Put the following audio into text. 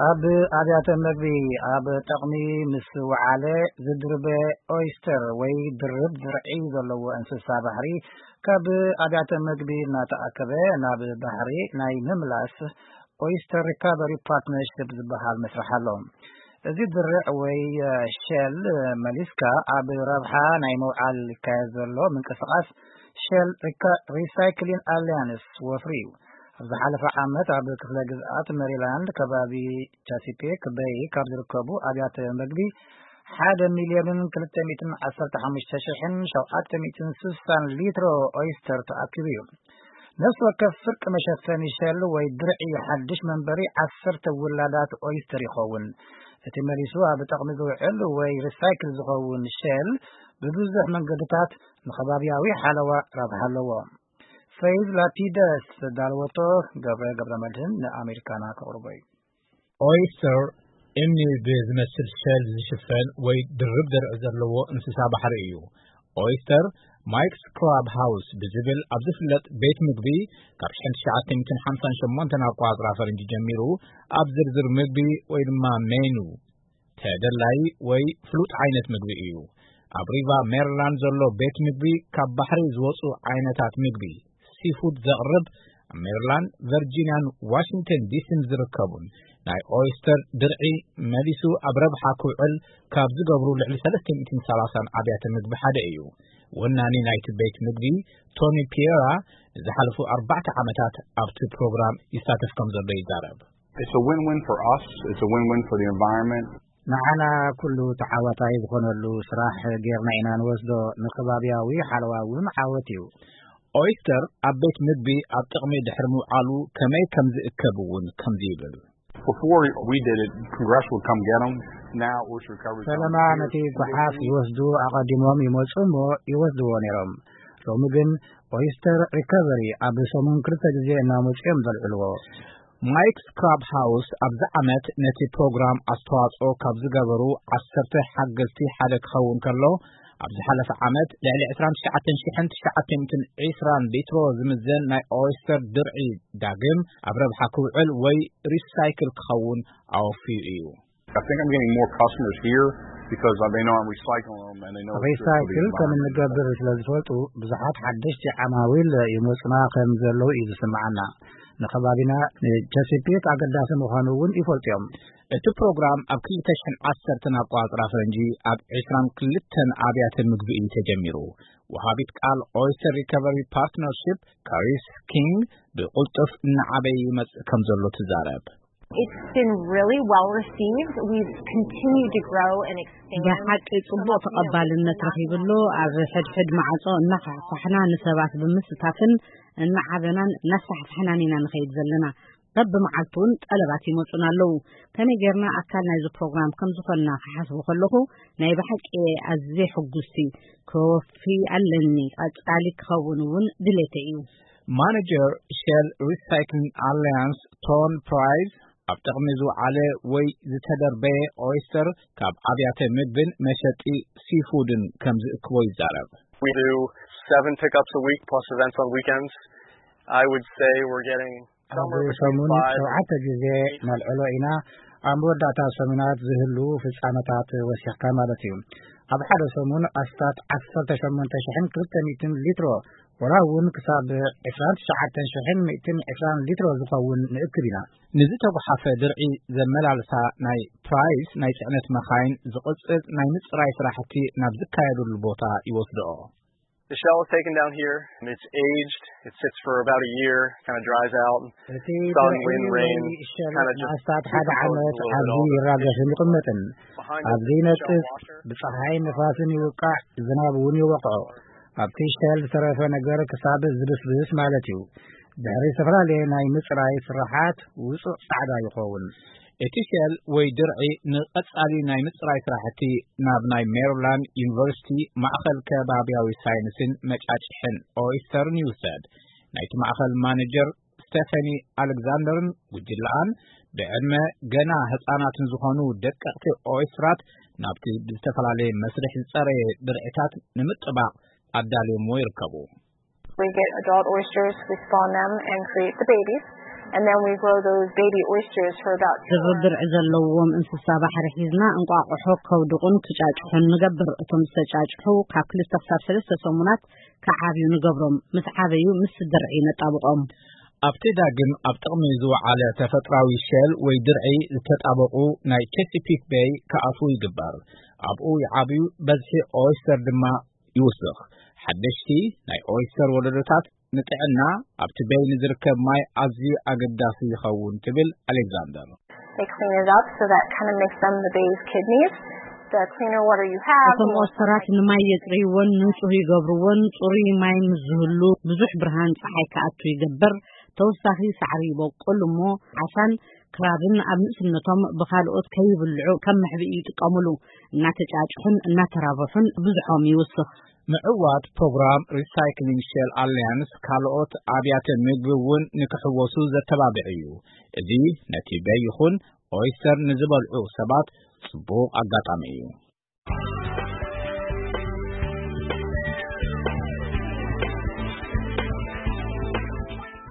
ኣብ ኣብያተ መግቢ ኣብ ጠቕሚ ምስ ወዓለ ዝድርበ ኦይስተር ወይ ድርብ ድርዒ ዘለዎ እንስሳ ባሕሪ ካብ ኣብያተ መግቢ እናተኣከበ ናብ ባሕሪ ናይ ምምላስ ኦይስተር ሪካቨሪ ፓርትነርሽፕ ዝበሃል መስርሕ ኣሎ። እዚ ድርዕ ወይ ሸል መሊስካ ኣብ ረብሓ ናይ መውዓል ይካየድ ዘሎ ምንቅስቓስ ሸል ሪሳይክሊን ኣሊያንስ ወፍሪ እዩ። ኣብ ዝሓለፈ ዓመት ኣብ ክፍለ ግዝኣት ሜሪላንድ ከባቢ ቻሲፔክ በይ ካብ ዝርከቡ ኣብያተ መግቢ ሓደ ሚልዮንን ክልተ ሚእትን ዓሰርተ ሓሙሽተ ሽሕን ሸውዓተ ሚእትን ስሳን ሊትሮ ኦይስተር ተኣኪቡ እዩ። ነፍሲ ወከፍ ፍርቂ መሸፈኒ ሸል ወይ ድርዒ ሓድሽ መንበሪ ዓሰርተ ውላዳት ኦይስተር ይኸውን። እቲ መሊሱ ኣብ ጠቕሚ ዝውዕል ወይ ሪሳይክል ዝኸውን ሸል ብብዙሕ መንገድታት ንኸባብያዊ ሓለዋ ረብሓ ኣለዎ። ፈይዝ ላፒደስ ዘዳለወቶ ገብረ ገብረ መድህን ንኣሜሪካና ከቕርቦ እዩ። ኦይስተር እምኒ ብዝመስል ሸል ዝሽፈን ወይ ድርብ ድርዒ ዘለዎ እንስሳ ባሕሪ እዩ። ኦይስተር ማይክስ ክራብ ሃውስ ብዝብል ኣብ ዝፍለጥ ቤት ምግቢ ካብ ሽሕን ትሽዓተ ሚእትን ሓምሳን ሸሞንተን ኣቋጽራ ፈረንጂ ጀሚሩ ኣብ ዝርዝር ምግቢ ወይ ድማ ሜኑ ተደላይ ወይ ፍሉጥ ዓይነት ምግቢ እዩ። ኣብ ሪቫ ሜሪላንድ ዘሎ ቤት ምግቢ ካብ ባሕሪ ዝወፁ ዓይነታት ምግቢ ሲፉድ ዘቕርብ ኣብ ሜሪላንድ፣ ቨርጂኒያን ዋሽንግተን ዲሲን ዝርከቡን ናይ ኦይስተር ድርዒ መሊሱ ኣብ ረብሓ ክውዕል ካብ ዝገብሩ ልዕሊ ሰለስተ ሚእትን ሰላሳን ኣብያተ ምግቢ ሓደ እዩ። ወናኒ ናይቲ ቤት ምግቢ ቶኒ ፒየራ ንዝሓለፉ ኣርባዕተ ዓመታት ኣብቲ ፕሮግራም ይሳተፍ ከም ዘሎ ይዛረብ። It's a win-win for us. It's a win-win for the environment. ንዓና ኩሉ ተዓዋታይ ዝኾነሉ ስራሕ ጌርና ኢና ንወስዶ፣ ንከባብያዊ ሓለዋ እውን ዓወት እዩ። ኦይስተር ኣብ ቤት ምግቢ ኣብ ጥቕሚ ድሕሪ ምውዓሉ ከመይ ከም ዝእከብ እውን ከምዚ ይብል። Before we did it, Congress would come get them. Now Oyster Recovery comes ፈለማ here. ነቲ ጓሓፍ ይወስዱ ኣቐዲሞም ይመጹ እሞ ይወስድዎ ነይሮም። ሎሚ ግን ኦይስተር ሪከቨሪ ኣብ ሰሙን ክልተ ግዜ እናመጹ እዮም ዘልዕልዎ። ማይክስ ክራብ ሃውስ ኣብዚ ዓመት ነቲ ፕሮግራም ኣስተዋጽኦ ካብ ዝገበሩ ዓሰርተ ሓገዝቲ ሓደ ክኸውን ከሎ፣ ኣብ ዝሓለፈ ዓመት ልዕሊ ዕስራን ትሽዓተ ሽሕን ትሽዓተ ሚእትን ዕስራን ሊትሮ ዝምዘን ናይ ኦይስተር ድርዒ ዳግም ኣብ ረብሓ ክውዕል ወይ ሪሳይክል ክኸውን ኣወፍዩ እዩ። I think I'm getting more customers here because they know I'm recycling them and they know it's good for the ሪሳይክል ከም environment. እንገብር ስለ ዝፈልጡ ብዙሓት ሓደሽቲ ዓማዊል ይመጹና ከም ዘለዉ እዩ ዝስምዓና። ንከባቢና ንቸሲፒክ ኣገዳሲ ምዃኑ እውን ይፈልጡ እዮም። እቲ ፕሮግራም ኣብ ክልተ ሽሕን ዓሰርተን ኣቆጻጽራ ፈረንጂ ኣብ ዕስራን ክልተን ኣብያተ ምግቢ እዩ ተጀሚሩ። ወሃቢት ቃል ኦይስተር ሪከቨሪ ፓርትነርሺፕ ካሪስ ኪንግ ብቕልጡፍ እናዓበየ ይመጽእ ከም ዘሎ ትዛረብ። It's been really well received. We've continued to grow and expand. ብሓቂ ጽቡቕ ተቐባልነት ረኺብሉ። ኣብ ሕድሕድ ማዕጾ እናፋሕፋሕና ንሰባት ብምስታፍን እናዓበናን እናስፋሕፋሕናን ኢና ንኸይድ ዘለና። በብመዓልቱ እውን ጠለባት ይመጹና ኣለዉ። ከመይ ጌርና ኣካል ናይዚ ፕሮግራም ከም ዝኾንና ክሓስቡ ከለኹ ናይ ብሓቂ እየ ኣዝየ ሕጉስቲ። ክወፊ ኣለኒ። ቀጻሊ ክኸውን እውን ድሌተይ እዩ። ማነጀር ሼል ሪሳይክሊንግ ኣሊያንስ ቶን ፕራይስ ኣብ ጥቕሚ ዝወዓለ ወይ ዝተደርበየ ኦይስተር ካብ ኣብያተ ምግብን መሸጢ ሲፉድን ከም ዝእክቦ ይዛረብ። We do seven pickups a week plus events on weekends. I would say we're getting ኣብ somewhere between ሰሙን five ሸውዓተ ግዜ ነልዕሎ ኢና። ኣብ መወዳእታ ሰሙናት ዝህሉ ፍጻመታት ወሲኽካ ማለት እዩ። ኣብ ሓደ ሰሙን ኣስታት ዓሰርተ ሸሞንተ ሽሕን ክልተ ሚእትን ሊትሮ ወላ እውን ክሳብ ዕስራን ትሽዓተ ሽሕን ሚእትን ዕስራን ሊትሮ ዝኸውን ንእክብ ኢና። ንዝተጓሓፈ ድርዒ ዘመላልሳ ናይ ፕራይስ ናይ ጽዕነት መኻይን ዝቕጽል ናይ ምጽራይ ስራሕቲ ናብ ዝካየደሉ ቦታ ይወስድኦ። The shell is taken down here and it's aged. It sits for about a year, kind of dries out. እቲ Sun, ድርዒ wind, ወይ rain, ሸል kind of just ንኣስታት ሓደ precomposes ዓመት a little bit ኣብዚ all the ይራገፍን ይቕመጥን። Behind us ኣብዚ is the shell ይነጥፍ፣ washer. ብፀሓይ ንፋስን ይውቃዕ፣ ዝናብ እውን ይወቅዖ። ኣብቲ ሸል ዝተረፈ ነገር ክሳብ ዝብስብስ ማለት እዩ። ድሕሪ ዝተፈላለየ ናይ ምፅራይ ስራሓት ውፁዕ ፃዕዳ ይኸውን። እቲ ሸል ወይ ድርዒ ንቐጻሊ ናይ ምጽራይ ስራሕቲ ናብ ናይ ሜሪላንድ ዩኒቨርሲቲ ማእኸል ከባብያዊ ሳይንስን መጫጭሕን ኦይስተርን ይውሰድ። ናይቲ ማእኸል ማኔጀር ስቴፈኒ ኣሌክዛንደርን ጉጅለኣን ብዕድመ ገና ህጻናትን ዝኾኑ ደቀቕቲ ኦይስትራት ናብቲ ብዝተፈላለየ መስርሕ ዝጸረየ ድርዒታት ንምጥባቕ ኣዳልዮምዎ ይርከቡ። We get adult oysters, we spawn them and create the babies. And then we grow those baby oysters for about two ድርብ ድርዒ ዘለዎም እንስሳ ባሕሪ ሒዝና እንቋቑሖ ከውድቑን ክጫጭሑን ንገብር። እቶም ዝተጫጭሑ ካብ ክልተ ክሳብ ሰለስተ ሰሙናት ክዓብዩ ንገብሮም። ምስ ዓበዩ ምስ ድርዒ ነጣብቖም። ኣብቲ ዳግም ኣብ ጥቕሚ ዝወዓለ ተፈጥራዊ ሸል ወይ ድርዒ ዝተጣበቑ ናይ ቸሲፒክ ቤይ ክኣትዉ ይግበር። ኣብኡ ይዓብዩ፣ በዝሒ ኦይስተር ድማ ይውስኽ። ሓደሽቲ ናይ ኦይስተር ወለዶታት ንጥዕና ኣብቲ ቤይ ንዝርከብ ማይ ኣዝዩ ኣገዳሲ ይኸውን ትብል ኣሌክዛንደር። They clean it up, so that kind of makes them the bay's kidneys. The cleaner water you have, the እቶም more ኦስተራት ንማይ የጽርይዎን ንጹህ ይገብርዎን። ጽሩይ ማይ ምስ ዝህሉ ብዙሕ ብርሃን ጸሓይ ክኣቱ ይገብር። ተወሳኺ ሳዕሪ ይበቁል እሞ ዓሳን ክራብን ኣብ ንእስነቶም ብኻልኦት ከይብልዑ ከም መሕብኢ ይጥቀሙሉ። እናተጫጭሑን እናተራብሑን ብዙሖም ይውስኽ። ምዕዋት ፕሮግራም ሪሳይክሊንግ ሼል ኣሊያንስ ካልኦት ኣብያተ ምግቢ እውን ንክሕወሱ ዘተባብዕ እዩ። እዚ ነቲ በይ ይኹን ኦይስተር ንዝበልዑ ሰባት ጽቡቕ ኣጋጣሚ እዩ።